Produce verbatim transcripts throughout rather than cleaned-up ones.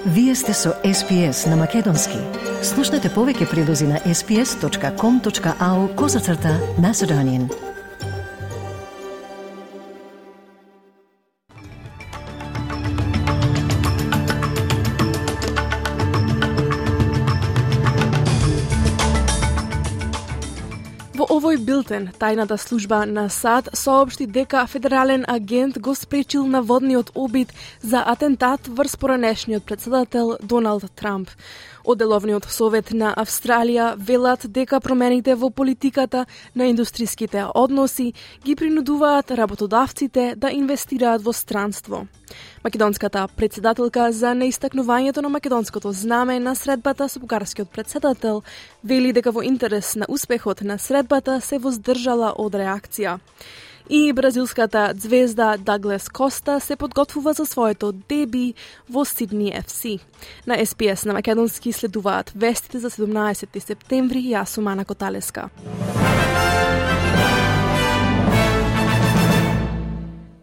Вие сте со Ес Пи Ес на Македонски. Слушнете повеќе прилози на ес пи ес точка ком точка ау козацрта Macedonian. Во овој билтен, тајната служба на САД соопшти дека федерален агент го спречил наводниот обид за атентат врз поранешниот претседател Доналд Трамп. Оделовниот совет на Австралија велат дека промените во политиката на индустриските односи ги принудуваат работодавците да инвестираат во странство. Македонската претседателка за неистакнувањето на македонското знаме на средбата со бугарскиот претседател вели дека во интерес на успехот на средбата се воздржала од реакција. И бразилската звезда Даглас Коста се подготвува за своето деби во Сидни Еф Си. На Ес Пи Ес на македонски следуваат вестите за седумнаесети септември. Јас сум Ана Коталеска.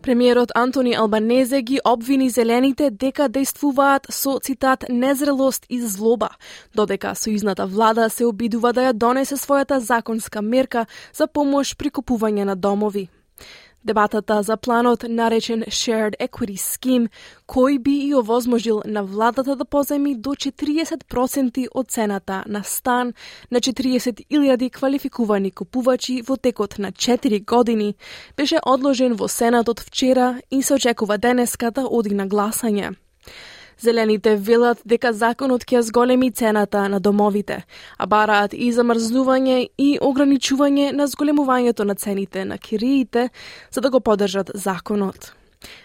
Премиерот Антони Албанезе ги обвини зелените дека действуваат со, цитат, незрелост и злоба, додека сојузната влада се обидува да ја донесе својата законска мерка за помош при купување на домови. Дебатата за планот наречен Shared Equity Scheme, кој би и овозможил на владата да поземи до четириесет проценти од цената на стан на четириесет илјади квалификувани купувачи во текот на четири години, беше одложен во Сенатот вчера и се очекува денеска да оди на гласање. Зелените велат дека законот ќе зголеми цената на домовите, а бараат и замрзнување и ограничување на зголемувањето на цените на кириите, за да го поддржат законот.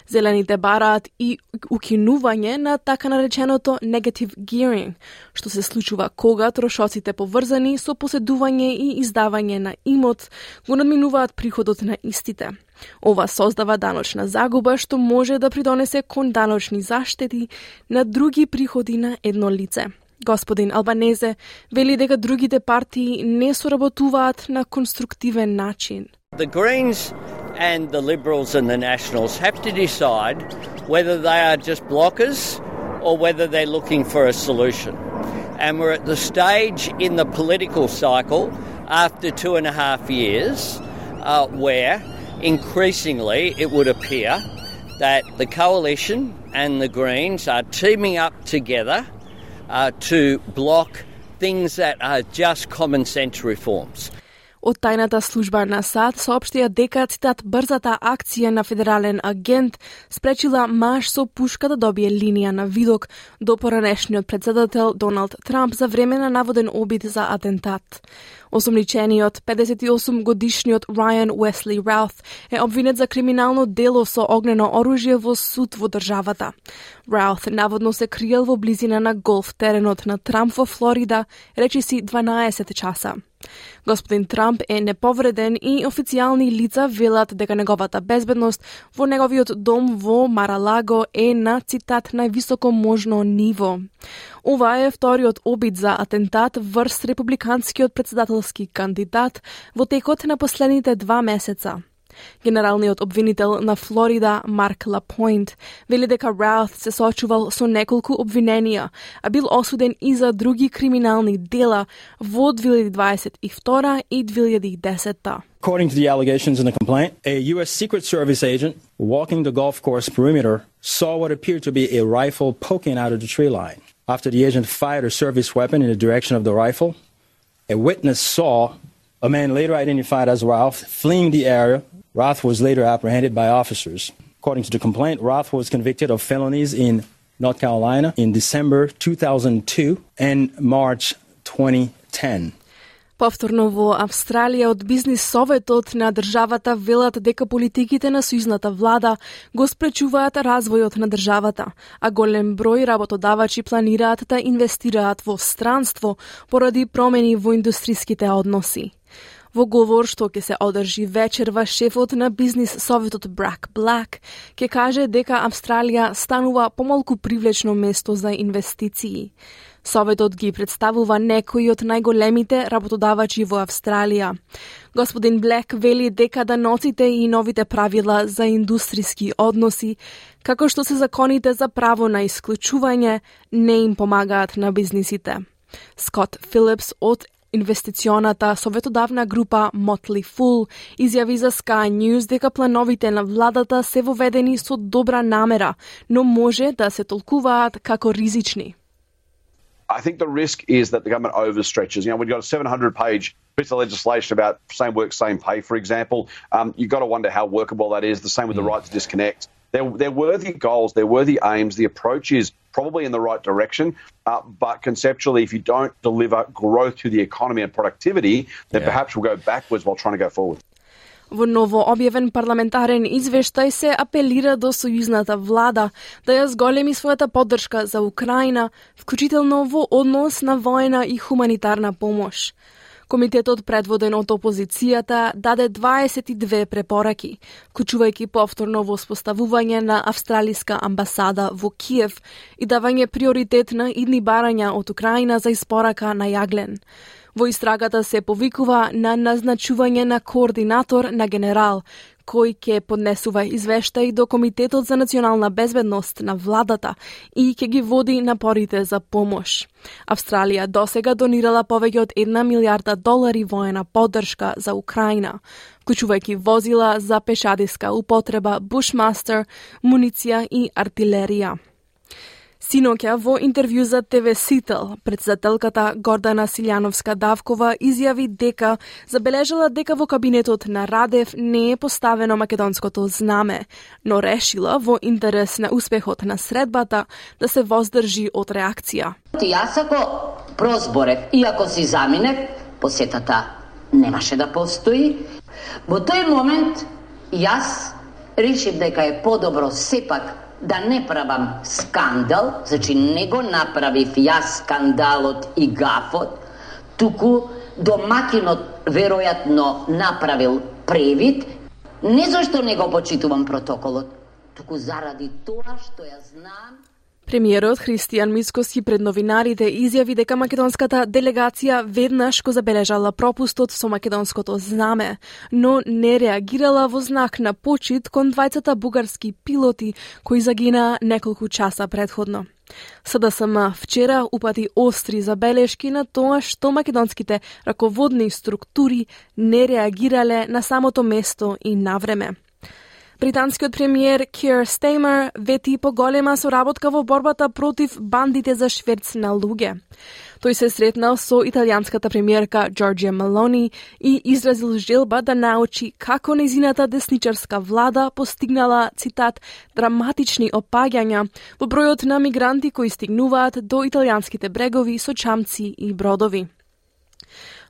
Зелените бараат и укинување на така нареченото negative gearing, што се случува кога трошоците поврзани со поседување и издавање на имот го надминуваат приходот на истите. Ова создава даночна загуба што може да придонесе кон даночни заштети на други приходи на едно лице. Господин Албанезе вели дека другите партии не соработуваат на конструктивен начин. The Greens and the Liberals and the Nationals have to decide whether they are just blockers or whether they're looking for a solution. And we're at the stage in the political cycle after two and a half years uh, where increasingly it would appear that the coalition and the Greens are teaming up together uh, to block things that are just common sense reforms. Од тајната служба на САД соопштија дека, цитат, брзата акција на федерален агент спречила маж со пушка да добие линија на видок до поранешниот претседател Доналд Трамп за време на наводен обид за атентат. Осомничениот педесет и осум годишниот Рајан Уесли Раут е обвинет за криминално дело со огнено оружје во суд во државата. Раут наводно се криел во близина на голф теренот на Трамп во Флорида, речиси дванаесет часа. Господин Трамп е неповреден и официјални лица велат дека неговата безбедност во неговиот дом во Маралаго е на, цитат, највисоко можно ниво. Ова е вториот обид за атентат врз републиканскиот претседателски кандидат во текот на последните два месеца. Генералниот обвинител на Флорида, Марк Лапойнт, вели дека Раут се соочувал со неколку обвиненија, а бил осуден и за други криминални дела во две илјади дваесет и втора и две илјади и десета. According to the allegations in the complaint, a U S Secret Service agent walking the golf course perimeter saw what appeared to be a rifle poking out of the tree line. After the agent fired a service weapon in the direction of the rifle, a witness saw a man later identified as Ralph fleeing the area. Roth was later apprehended by officers. According to the complaint, Roth was convicted of felonies in North Carolina in December two thousand two and March twenty ten. Повторно во Австралија од бизнис советот на државата велат дека политиките на сојузната влада го спречуваат развојот на државата, а голем број работодавачи планираат да инвестираат во странство поради промени во индустриските односи. Во говор што ќе се одржи вечерва, шефот на бизнис советот Брак Блак ќе каже дека Австралија станува помалку привлечно место за инвестиции. Советот ги представува некои од најголемите работодавачи во Австралија. Господин Блек вели дека даноците и новите правила за индустријски односи, како што се законите за право на исклучување, не им помагаат на бизнисите. Скот Филипс од инвестиционата советодавна група Motley Fool изјави за Sky News дека плановите на владата се воведени со добра намера, но може да се толкуваат како ризични. I think the risk is that the government overstretches. You know, we've got a seven hundred page piece of legislation about same work, same pay, for example. Um, you've got to wonder how workable that is. The same with the right to disconnect. They're, they're worthy goals, they're worthy aims. The approach is probably in the right direction, uh, but conceptually, if you don't deliver growth to the economy and productivity, then yeah. perhaps we'll go backwards while trying to go forward. Во ново објавен парламентарен извештај се апелира до сојузната влада да ја зголеми својата поддршка за Украина, вклучително во однос на воена и хуманитарна помош. Комитетот, предводен од опозицијата, даде дваесет и две препораки, вклучувајќи повторно воспоставување на австралиска амбасада во Киев и давање приоритет на идни барања од Украина за испорака на јаглен. Во истрагата се повикува на назначување на координатор на генерал, кој ќе поднесува извештај до Комитетот за национална безбедност на владата и ќе ги води напорите за помош. Австралија досега донирала повеќе од една милијарда долари воена поддршка за Украина, вклучувајќи возила за пешадиска употреба, Bushmaster, муниција и артилерија. Синоќа во интервју за Те Ве Сител, председателката Гордана Силјановска-Давкова изјави дека забележала дека во кабинетот на Радев не е поставено македонското знаме, но решила во интерес на успехот на средбата да се воздржи од реакција. Јас ако прозборев и ако си заминев, посетата немаше да постои. Во тој момент јас решив дека е подобро сепак да не правам скандал, значи не го направив јас скандалот и гафот, туку домакинот веројатно направил превид, не зашто не го почитувам протоколот, туку заради тоа што ја знам. Премиерот Христијан Мицкоски пред новинарите изјави дека македонската делегација веднаш го забележала пропустот со македонското знаме, но не реагирала во знак на почит кон двајцата бугарски пилоти кои загина неколку часа предходно. С Д С М вчера упати остри забелешки на тоа што македонските раководни структури не реагирале на самото место и навреме. Британскиот премиер Кир Стеймер вети поголема соработка во борбата против бандите за шверц на луѓе. Тој се сретнал со италијанската премиерка Джорџија Мелони и изразил желба да научи како нејзината десничарска влада постигнала, цитат, драматични опаѓања во бројот на мигранти кои стигнуваат до италијанските брегови со чамци и бродови.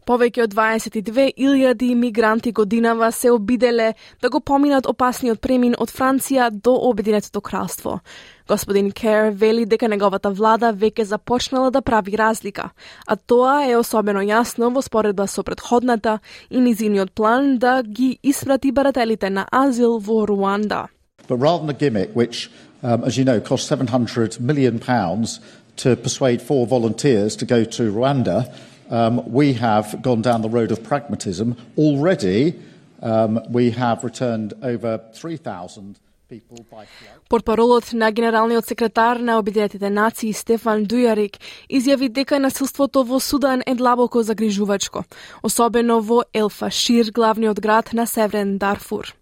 Повеќе од дваесет и две илјади мигранти годинава се обиделе да го поминат опасниот премин од Франција до Обединетото кралство. Господин Кер вели дека неговата влада веќе започнала да прави разлика, а тоа е особено јасно во споредба со претходната и низиниот план да ги испрати барателите на азил во Руанда. But rather than a gimmick which, um, as you know, cost seven hundred million pounds to persuade four volunteers to go to Rwanda, Um, we have gone down the road of pragmatism. Already, um, we have returned over three thousand people by flight. Портпаролот на генералниот секретар на Обединетите нации Стефан Дујарик изјави дека насилството во Судан е длабоко загрижувачко, особено во Ел Фашир, главниот град на Северен Дарфур.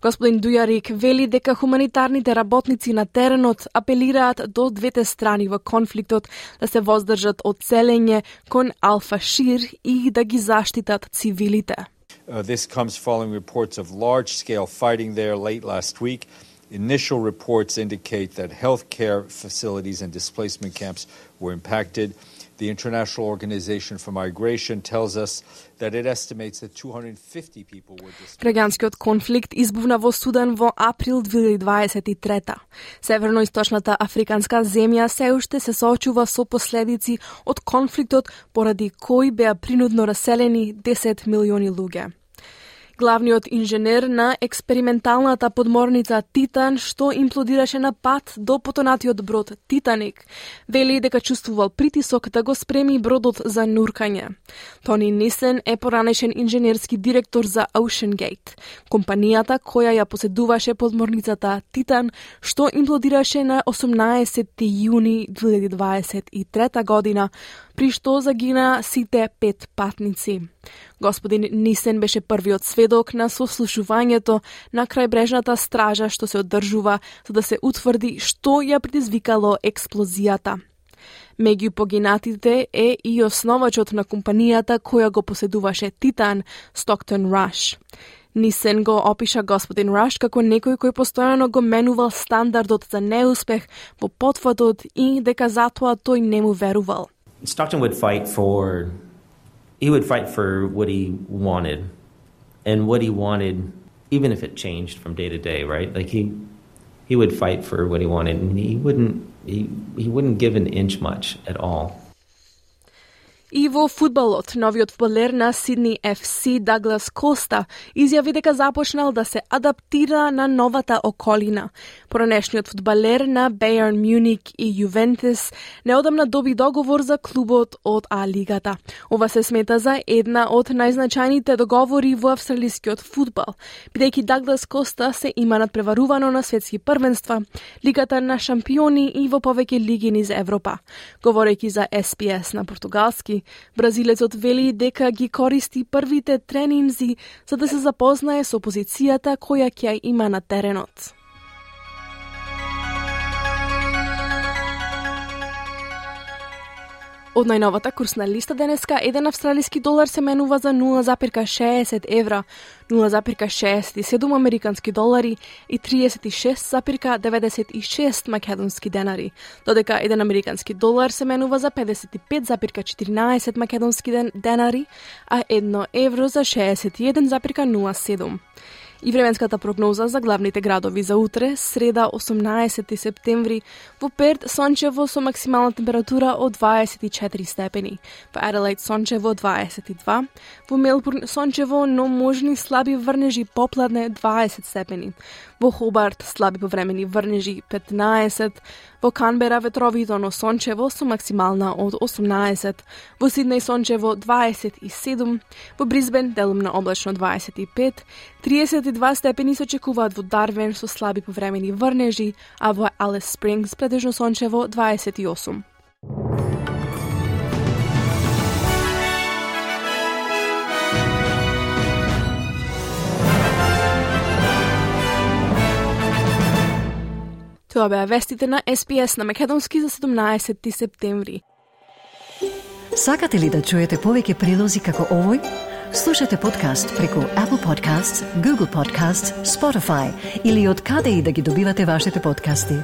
Господин Дујарик вели дека хуманитарните работници на теренот апелираат до двете страни во конфликтот да се воздржат од селење кон Ал Фашир и да ги заштитат цивилите. Uh, this comes following reports of large-scale fighting there late last week. Initial reports indicate that healthcare facilities and displacement camps were impacted. The International Organization for Migration tells us that it estimates that two hundred fifty people were displaced. Граѓанскиот конфликт избувна во Судан во април две илјади дваесет и трета. Северноисточната африканска земја се уште се соочува со последици од конфликтот поради кој беа принудно раселени десет милиони луѓе. Главниот инженер на експерименталната подморница Титан, што имплодираше на пат до потонатиот брод Титаник, вели дека чувствувал притисок да го спреми бродот за нуркање. Тони Нисен е поранешен инженерски директор за OceanGate, компанијата која ја поседуваше подморницата Титан, што имплодираше на осумнаесети јуни две илјади дваесет и трета година, при што загина сите пет патници. Господин Нисен беше првиот сведок на сослушувањето на крајбрежната стража што се одржува за да се утврди што ја предизвикало експлозијата. Меѓу погинатите е и основачот на компанијата која го поседуваше Титан, Stockton Rush. Нисен го опиша господин Раш како некој кој постојано го менувал стандардот за неуспех во потфатот и дека затоа тој не му верувал. Stockton would fight for he would fight for what he wanted and what he wanted even if it changed from day to day, right? Like he he would fight for what he wanted and he wouldn't he, he wouldn't give an inch much at all. И во фудбалот, новиот фудбалер на Сидни Еф Си Даглас Коста изјави дека започнал да се адаптира на новата околина. Поранешниот фудбалер на Бајерн Мюник и Јувентус неодамна доби договор за клубот од А-лигата. Ова се смета за една од најзначајните договори во австралискиот фудбал, бидејќи Даглас Коста се има надпреварувано на светски првенства, Лигата на шампиони и во повеќе лиги низ Европа. Говорејќи за Ес Би Ес на португалски, бразилецот вели дека ги користи првите тренинзи за да се запознае со позицијата која ќе има на теренот. Од најновата курсна листа денеска, еден австралиски долар се менува за нула запирка шеесет евра, нула запирка шеесет и седум американски долари и триесет и шест запирка деветдесет и шест македонски денари, додека еден американски долар се менува за педесет и пет запирка четиринаесет македонски денари, а едно евро за шеесет и еден запирка нула седум. И временската прогноза за главните градови за утре, среда осумнаесети септември, во Перт сончево со максимална температура од дваесет и четири степени, во Аделаид сончево дваесет и два, во Мелбурн сончево, но можни слаби врнежи попладне дваесет степени, во Хобарт слаби повремени врнежи петнаесет, во Канбера ветровито, но сончево со максимална од осумнаесет, во Сиднеј сончево дваесет и седум, во Брисбен делумно облачно дваесет и пет, триесет и два степени се очекуваат во Дарвин со слаби повремени врнежи, а во Алис Спрингс претежно сончево дваесет и осум. Тоа беа вестите на Ес Би Ес на македонски за седумнаесети септември. Сакате ли да чуете повеќе прилози како овој? Слушате подкаст преку Apple Podcasts, Google Podcasts, Spotify или од каде и да ги добивате вашите подкасти.